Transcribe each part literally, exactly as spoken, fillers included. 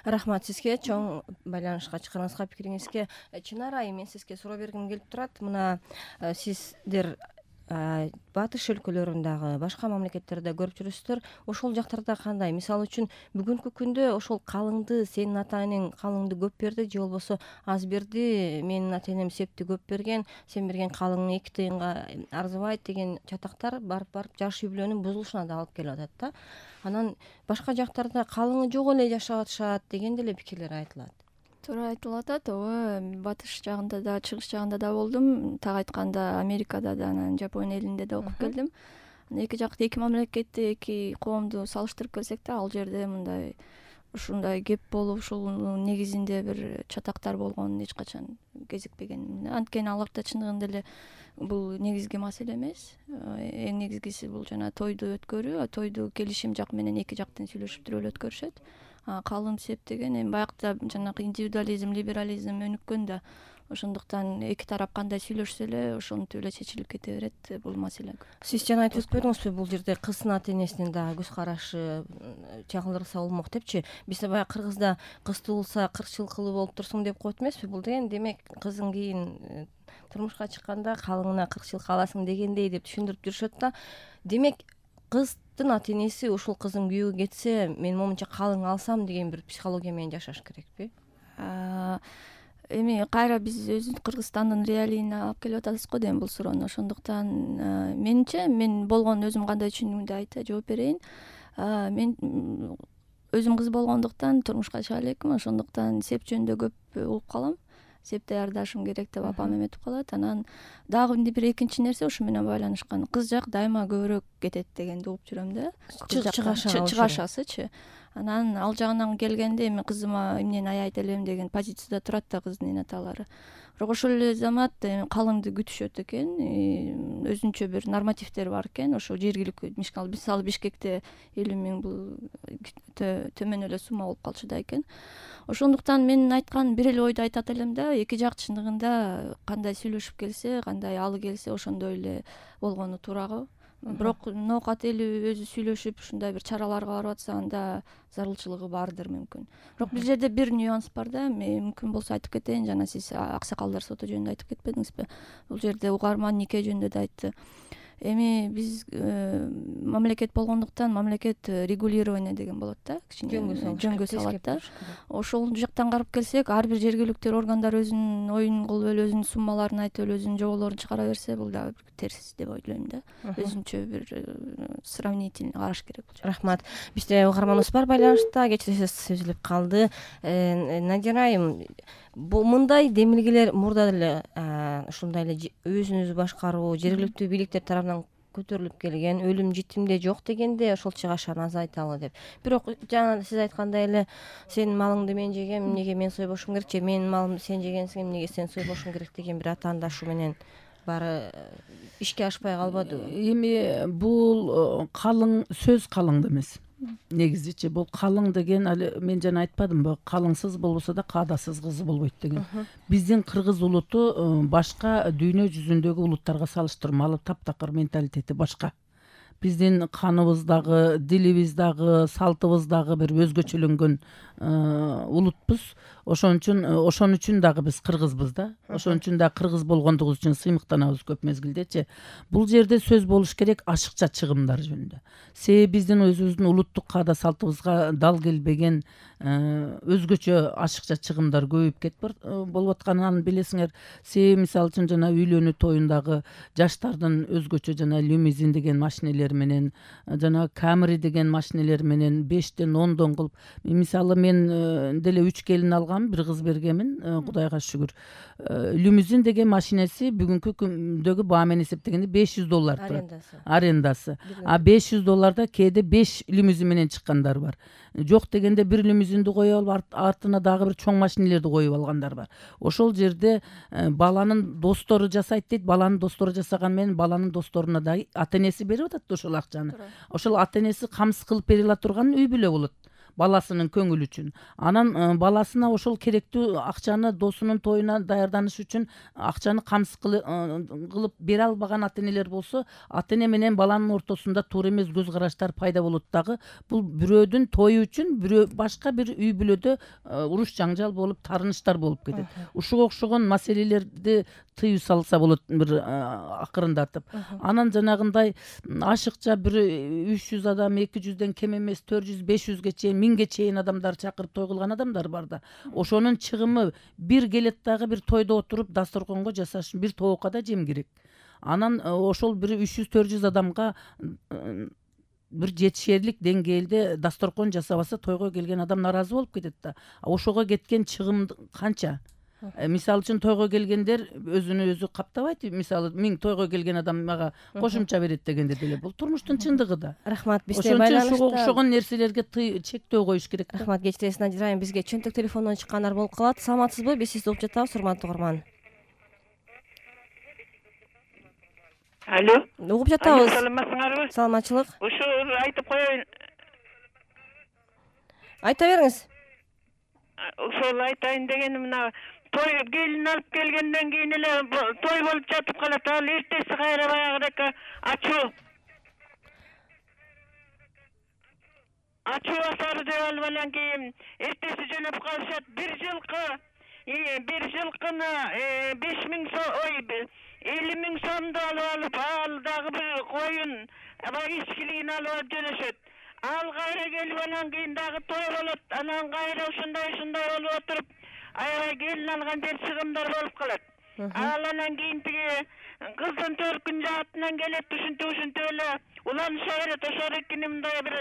Рахмат сизге чоң байланышка чыкканыңызга, пикириңизге. Чынар айым, мен сизге суроо бергим келип турат. Мына сиздер батыш өлкөлөрүндагы башка мамлекеттерде көрүп жүрүсүздөр. Ошол жактарда кандай? Мисалы үчүн бүгүнкү күндө ошол калыңды сенин ата энең калыңды көп берди же болбосо аз берди, менин ата энем септи көп берген, сен берген калың эки тыйынга арзыбайт деген чатактар барып-барып жаш үй бүлөнүн бузулушуна да алып келип атат да. Анан башка жактарда калыңы жок эле жашап атышат деген деле пикирлер айтылат. Туура айтылып атат. Ооба, батыш жагында да, чыгыш жагында да болдум. Так айтканда Америкада да, анан Жапон элинде да окуп келдим. Эки жакты, эки мамлекетти, эки коомду салыштырып келсек да, ал жерде мындай ушундай кеп болуп, ушунун негизинде бир чатактар болгонун эч качан кезикпеген. Анткени аларда чындыгында эле бул негизги маселе эмес. Эң негизгиси бул жана тойду өткөрүү, тойду келишим жак менен эки жактын сүйлөшүп туруп эле өткөрүшөт. Калың сеп деген эми баягыда жанагы индивидуализм, либерализм өнүккөн да, ошондуктан эки тарап кандай сүйлөшсө эле ошентип эле чечилип кете берет бул маселе. Сиз жана айтып өтпөдүңүзбү, бул жерде кыздын ата энесинин дагы көз карашы чагылдырса болмок депчи. Бизде баягы кыргызда кыз туулса кырк жылкылуу болуп турсуң деп коет эмеспи? Бул деген демек кызың кийин турмушка чыкканда калыңына кырк жылкы аласың дегендей деп түшүндүрүп жүрүшөт да. Демек кыздын ата энеси ушул кызым күйөөгө кетсе, мен момунча калың алсам деген бир психология менен жашаш керекпи? Эми кайра биз өзүбүз Кыргызстандын реалийине алып келип атасыз го дейм бул суроону. Ошондуктан менимче мен болгон өзүм кандай түшүндүмдү айтып жооп берейин. Мен өзүм кыз болгондуктан турмушка чыга элекмин, ошондуктан сеп жөнүндө көп угуп калам. Сеп даярдашым керек деп апам эметип калат. Анан дагы бир экинчи нерсе ушу менен байланышкан. Кыз жак дайыма көбүрөөк кетет дегенди угуп жүрөм да. Чыгашасычы. Анан ал жагынан келгенде эми кызыма эмнени аябайт элем деген позицияда турат да кыздын эне аталары. Бирок ошол эле замат калыңды күтүшөт экен, өзүнчө бир нормативдер бар экен. Ошо жергиликтүү мисалы Бишкекте элүү миң бул төмөн эле сумма болуп калчу да экен. Ошондуктан мен айткан бир эле ойду айтат элем да, эки жак чындыгында кандай сүйлөшүп келсе, кандай алы келсе ошондой эле болгону туура го. Бирок ноокат эли өзү сүйлөшүп ушундай бир чараларга барып атса, анда зарылчылыгы бардыр мүмкүн. Бирок бул жерде бир нюанс бар да, мүмкүн болсо айтып кетейин, жана сиз аксакалдар соту жөнүндө айтып кетпедиңизби? Бул жерде угарман нике жөнүндө да айтты. Эми биз мамлекет болгондуктан мамлекет регулирование деген болот да, кичине жөнгө салат да. Ошол жактан карап келсек, ар бир жергиликтүү органдар өзүнүн оюн кылып эле, өзүнүн суммаларын айтып эле, өзүнүн жоболорун чыгара берсе, бул дагы терс деп ойлойм да. Өзүнчө бир сравнительный караш керек бул. Рахмат. Бизде угарманыбыз бар байланышта, кечиресиз үзүлүп калды. Надира айым, бул мындай демилгелер мурда деле ушундай эле өзүнүзү башкаруу, жергиликтүү бийликтер тарабынан көтөрүлүп келген, өлүм житимде жок дегенде ошол чыгашаны азайталы деп. Бирок жана сиз айткандай эле сенин малыңды мен жегем, эмнеге мен сойбошум керек, же менин малымды сен жегенсиң, эмнеге сен сойбошуң керек деген бир атаандашуу менен баары ишке ашпай калбадыбы? Эми бул калың сөз калыңды эмес. Негизичи бул калың деген, али мен жана айтпадымбы, калыңсыз болбосо да каадасыз кызы болбойт деген. Биздин кыргыз улуту башка дүйнө жүзүндөгү улуттарга салыштырмалуу алып таптакыр менталитети башка. Биздин каныбыз дагы, дилибиз дагы, салтыбыз дагы бир өзгөчөлөнгөн улутпуз. Ошон үчүн ошон үчүн дагы биз кыргызбыз да. Ошон үчүн да кыргыз болгондугубуз үчүн сыймыктанабыз көп мезгилдечи. Бул жерде сөз болуш керек ашыкча чыгымдар жөнүндө. Себеби биздин өзүбүздүн улуттук каада салтыбызга дал келбеген өзгөчө ашыкча чыгымдар көбөйүп кетип болуп атканын билесиңер. Себеби мисалы үчүн жана үйлөнүү тоюндагы жаштардын өзгөчө жана лимузин деген машинелер менен, жана Camry деген машинелер менен бештен ондон кылып, мисалы мен деле үч келин алгам, бир кыз бергенмин, Кудайга шүгүр. Лимузин деген машинеси бүгүнкү күндөгү баа менен эсептегенде беш жүз доллар турат. Арендасы. А беш жүз долларда кээде беш лимузин менен чыккандар бар. Жок дегенде бир лимузинди коюп алып, артына дагы бир чоң машинелерди коюп алгандар бар. Ошол жерде баланын достору жасайт дейт, баланын достору жасаган менен баланын досторуна дагы ата энеси берип атат ошол акчаны. Ошол ата энеси камсыз кылып бере ала турган үй бүлө болот. баласынын көңүлү үчүн. Анан баласына ошол керектүү акчаны досунун тоюна даярданыш үчүн акчаны камсыз кылып бере албаган ата энелер болсо, ата эне менен баланын ортосунда туура эмес көз караштар пайда болот дагы. Бул бирөөдүн тою үчүн бирөө башка бир үй бүлөдө уруш жаңжал болуп, тарыныштар болуп кетет. Ушуга окшогон маселелерди тыюу салса болот бир акырындатып. Анан жанагындай ашыкча бир үч жүз адам, эки жүздөн кем эмес төрт жүз, беш жүзгө чейин, миңге чейин адамдар чакырып той кылган адамдар бар да. Ошонун чыгымы бир келет дагы бир тойдо отуруп дасторконго жасаш, бир тоокка да жем керек. Анан ошол бир үч жүз, төрт жүз адамга бир жетишерлик деңгээлде дасторкон жасабаса, тойго келген адам наразы болуп кетет да. Ошого кеткен чыгым канча? Мисалы үчүн тойго келгендер өзүнө өзү каптабайт. Мисалы миң тойго келген адам мага кошумча берет дегенде деле бул турмуштун чындыгы да. Рахмат, бизде байланышта ошого окшогон нерселерге чектөө коюш керек. Рахмат, кечиресиз Надира айым, бизге чөнтөк телефондон чыккандар болуп калат. Саламатсызбы? Биз сизди угуп жатабыз, урматтуу угарман. Алло. Угуп жатабыз. Саламатсыңарбы? Саламатчылык. Ушу айтып коеюн. Айта бериңиз. Ошол айтайын дегеним мына той келин алып келгенден кийин эле той болуп жатып калат. Ал эртеси кайра баягыдек ачуу. Ачуу асары деп алып анан кийин эртеси жөнөп калышат. Бир жылкы, бир жылкыны беш миң сом, ой, элүү миң сомду алып алып, ал дагы бир коюн, аябай ичкилигин алып алып жөнөшөт. Ал кайра келип анан кийин дагы той болот. Анан кайра ушундай ушундай болуп отуруп, аябай келин алган жер чыгымдар болуп калат. Ал анан кийин тиги кыздын төркүн жаатынан келет, ушинтип ушинтип эле уланыша берет. Ошол экини мындай бир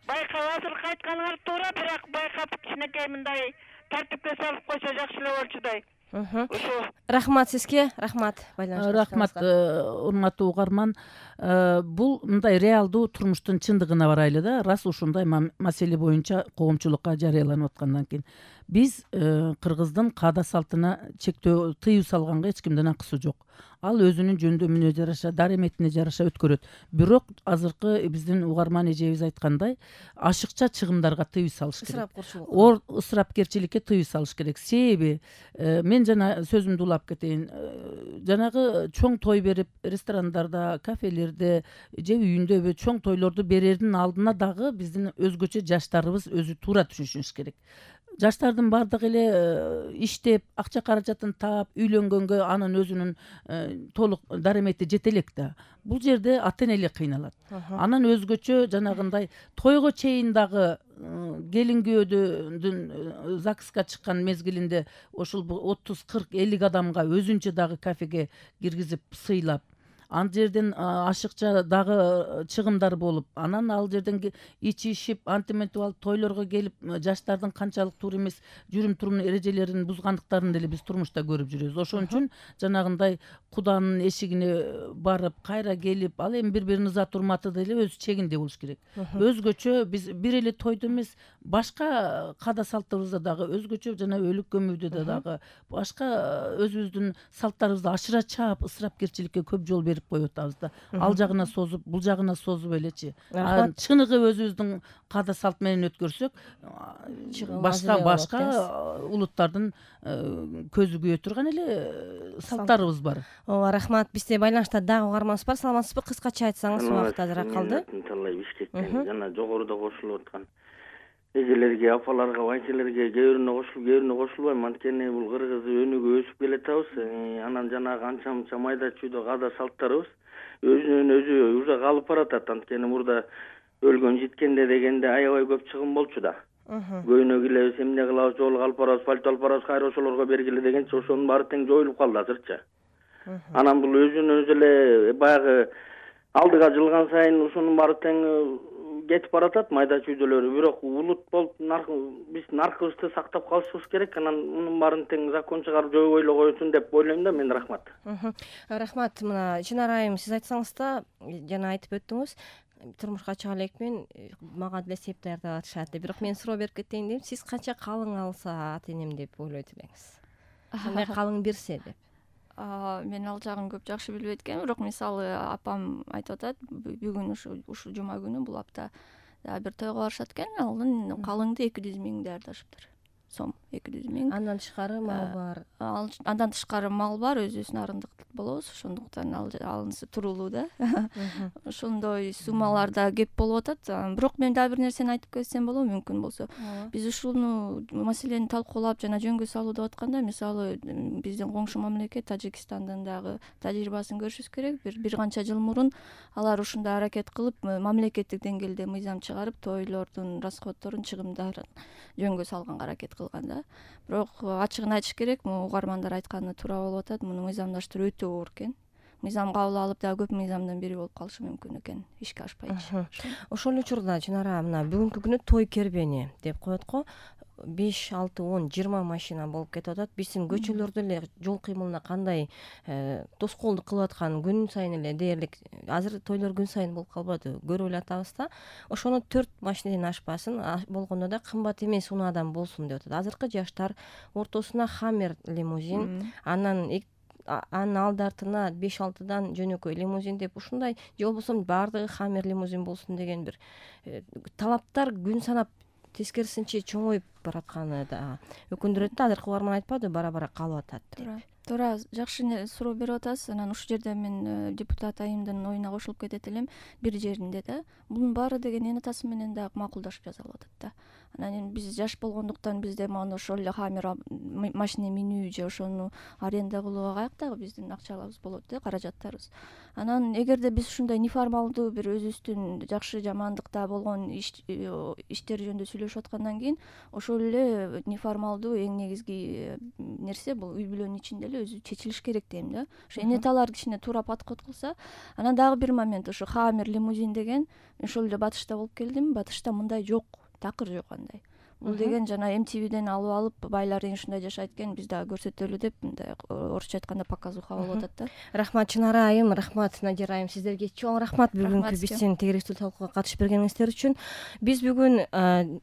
байкап, азыр кайтканыңар туура, бирок байкап кичинекей мындай тартипке салып койсо жакшы эле болчудай. Рахмат сизге, рахмат. Рахмат, урматтуу угарман. Бул мындай реалдуу турмуштун чындыгына барайлы да. Рас ушундай маселе боюнча коомчулукка жарыяланып аткандан кийин биз кыргыздын каада салтына чектөө, тыюу салганга эч кимдин акысы жок. Ал өзүнүн жөндөмүнө жараша, дареметине жараша өткөрөт. Бирок азыркы биздин угарман эжебиз айткандай, ашыкча чыгымдарга тыюу салыш керек. Ор ысырапкерчиликке тыюу салыш керек. Себеби мен жана сөзүмдү улап кетейин. Жанагы чоң той берип, ресторандарда, кафелерде же үйүндөбү чоң тойлорду берердин алдына дагы биздин өзгөчө жаштарыбыз өзү туура түшүнүш керек. Жаштардын бардыгы эле иштеп, акча каражатын таап, үйлөнгөнгө анын өзүнүн толук даремети жете элек да. Бул жерде ата энелер кыйналат. Анан өзгөчө жанагындай тойго чейин дагы келин күйөөдүн ЗАГСка чыккан мезгилинде ошол отуз, кырк, элүү адамга өзүнчө дагы кафеге киргизип сыйлап, ан жерден ашыкча дагы чыгымдар болуп, анан ал жерден ичишип, антиментип алып тойлорго келип, жаштардын канчалык туура эмес жүрүм турум эрежелерин бузгандыктарын деле биз турмушта көрүп жүрөбүз. Ошон үчүн жанагындай куданын эшигине барып, кайра келип, ал эми бири-биринин ызат урматы деле өз чегинде болуш керек. Өзгөчө биз бир эле тойдо эмес, башка каада салттарыбызда дагы өзгөчө жана өлүк көмүүдө дагы башка өзүбүздүн салттарыбызды ашыра чаап, ысырапкерчиликке көп жол берип коюп атабыз да. Ал жагына созуп, бул жагына созуп элечи. Чыныгы өзүбүздүн каада салт менен өткөрсөк, башка башка улуттардын көзү күйө турган эле салттарыбыз бар. Ооба, рахмат. Бизде байланышта дагы угарманыбыз бар. Саламатсызбы? Кыскача айтсаңыз, убакыт азыраак калды. Талай Бишкектен жана жогоруда кошулуп аткан эжелерге, апаларга, байчелерге кээ бирүнө кошулуп, кээ бирүнө кошулбайм. Анткени бул кыргыз өнүгүп өсүп келатабыз. Анан жанагы анча мынча майда чүйдө каада салттарыбыз өзүнөн өзү уже калып баратат. Анткени мурда өлгөн житкенде дегенде аябай көп чыгым болчу да. Көйнө килебиз, эмне кылабыз, жол алып барабыз, пальто алып барабыз, кайра ошолорго бергиле дегенче ошонун баары тең жоюлуп калды азырча. Анан бул өзүнөн өзү эле баягы алдыга жылган сайын ошонун баары тең кетип баратат майда чүйдөлөрү. Бирок улут болуп биз наркыбызды сактап калышыбыз керек. Анан мунун баарын тең закон чыгарып жойбой эле койсун деп ойлойм да мен. Рахмат. Рахмат. Мына Чынар айым, сиз айтсаңыз да, жана айтып өттүңүз, турмушка чыга элекмин, мага деле сеп даярдап атышат деп. Бирок мен суроо берип кетейин дейм. Сиз канча калың алса ата энем деп ойлойт элеңиз? Кандай калың берсе деп? Мен ал жагын көп жакшы билбейт экенмин, бирок мисалы апам айтып атат, бүгүн ушу ушул жума күнү бул апта дагы бир тойго барышат экен, анын калыңды эки жүз миң даярдашыптыр, сом эки жүз миң. Андан тышкары мал бар. Ал андан тышкары мал бар, өзүбүз нарындык болобуз, ошондуктан ал алынысы туруулуу да. Ошондой суммаларда кеп болуп атат. Бирок мен дагы бир нерсени айтып кетсем болобу, мүмкүн болсо. Биз ушуну маселени талкуулап жана жөнгө салуу деп атканда, мисалы биздин коңшу мамлекет Тажикстандын дагы тажрыйбасын көрүшүбүз керек. Бир бир канча жыл мурун алар ушундай аракет кылып, мамлекеттик деңгээлде мыйзам чыгарып, тойлордун расходторун, чыгымдарын жөнгө салганга аракет кылган да. Бирок ачыгын айтыш керек, угармандар айтканы туура болуп атат. Муну мыйзамдаштыруу өтө оор экен. Мыйзам кабыл алып дагы көп мыйзамдын бири болуп калышы мүмкүн экен, ишке ашпайчы. Ошол эле учурда Чынара мына бүгүнкү күнү той кербени деп коет го. беш, алты, он, жыйырма машина болуп кетип атат. Биздин көчөлөрдө эле жол кыймылына кандай тоскоолдук кылып аткан күн сайын эле дээрлик. Азыр тойлор күн сайын болуп калбады, көрүп эле атабыз да. Ошону төрт машинеден ашпасын, болгондо да кымбат эмес унаадан болсун деп атат. Азыркы жаштар ортосуна Хаммер лимузин, анан анын алды артына беш алтыдан жөнөкөй лимузин деп ушундай, же болбосо баардыгы Хаммер лимузин болсун деген бир талаптар күн санап тескерисинче чоңоюп баратканы да өкүндүрөт да. Азыркы угарман айтпады, бара-бара калып атат деп. Туура, туура, жакшы суроо берип атасыз. Анан ушул жерде мен депутат айымдын оюна кошулуп кетет элем. Бир жеринде да бунун баары деген эне атасы менен дагы макулдашып жасалып атат да. Анан эми биз жаш болгондуктан бизде мына ошол эле Хаммер машина минүү же ошону аренда кылууга каяктагы биздин акчаларыбыз болот да, каражаттарыбыз. Анан эгерде биз ушундай неформалдуу бир өзүбүздүн жакшы жамандыкта болгон иштер жөнүндө сүйлөшүп аткандан кийин, ошол эле неформалдуу эң негизги нерсе бул үй бүлөнүн ичинде эле өзү чечилиш керек дейм да. Ошо эне аталар кичине туура подход кылса. Анан дагы бир момент, ошо Хаммер лимузин деген ошол эле Батышта болуп келдим. Батышта мындай жок, такыр жок андай. Бул деген жана эм ти виден алып алып байлар эң ушундай жашайт экен, биз дагы көрсөтөлү деп мындай орусча айтканда показуха болуп атат да. Рахмат Чынара айым, рахмат Надира айым, сиздерге чоң рахмат бүгүнкү биздин тегеректүү талкууга катышып бергениңиздер үчүн. Биз бүгүн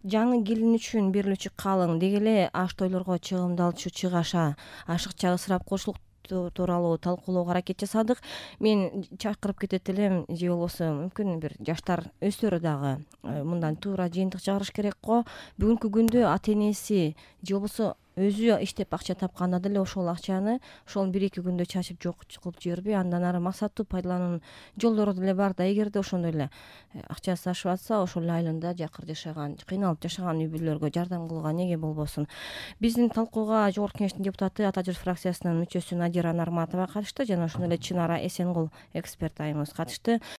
жаңы келин үчүн берилүүчү калың, деги эле аш тойлорго чыгымдалчу чыгаша, ашыкча ысырап кылуучулук тууралуу талкуулоого аракет жасадык. Мен чакырып кетет элем, же болбосо мүмкүн бир жаштар өздөрү дагы мындан туура жыйынтык чыгарыш керек го. Бүгүнкү күндө ата энеси же болбосо өзү иштеп акча тапканда деле ошол акчаны ошол бир эки күндө чачып жок кылып жибербей, андан ары максаттуу пайдалануунун жолдору деле бар да. Эгерде ошондой эле акчасы ашып атса, ошол эле айылында жакыр жашаган, кыйналып жашаган үй бүлөлөргө жардам кылууга неге болбосун. Биздин талкууга Жогорку Кеңештин депутаты, Ата Журт фракциясынын мүчөсү Надира Нарматова катышты, жана ошондой эле Чынара Эсенгул эксперт айымыбыз катышты.